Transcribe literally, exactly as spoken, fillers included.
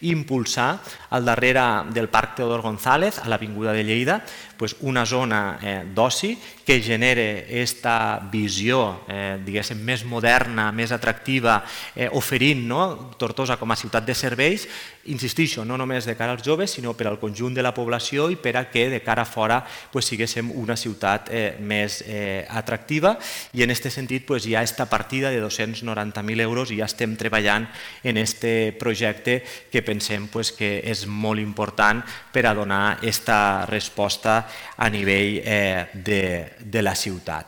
impulsar al darrere del Parc Teodor González, a l'Avinguda de Lleida, una zona d'oci que genere aquesta visió diguéssim més moderna, més atractiva, oferint Tortosa com a ciutat de serveis, insistixo, no només de cara als joves, sinó per al conjunt de la població i per a que de cara a fora siguéssim una ciutat més atractiva. I en aquest sentit hi ha aquesta partida de dos-cents noranta mil euros i ja estem treballant en aquest projecte que pensem que és molt important per a donar aquesta resposta a nivell de la ciutat.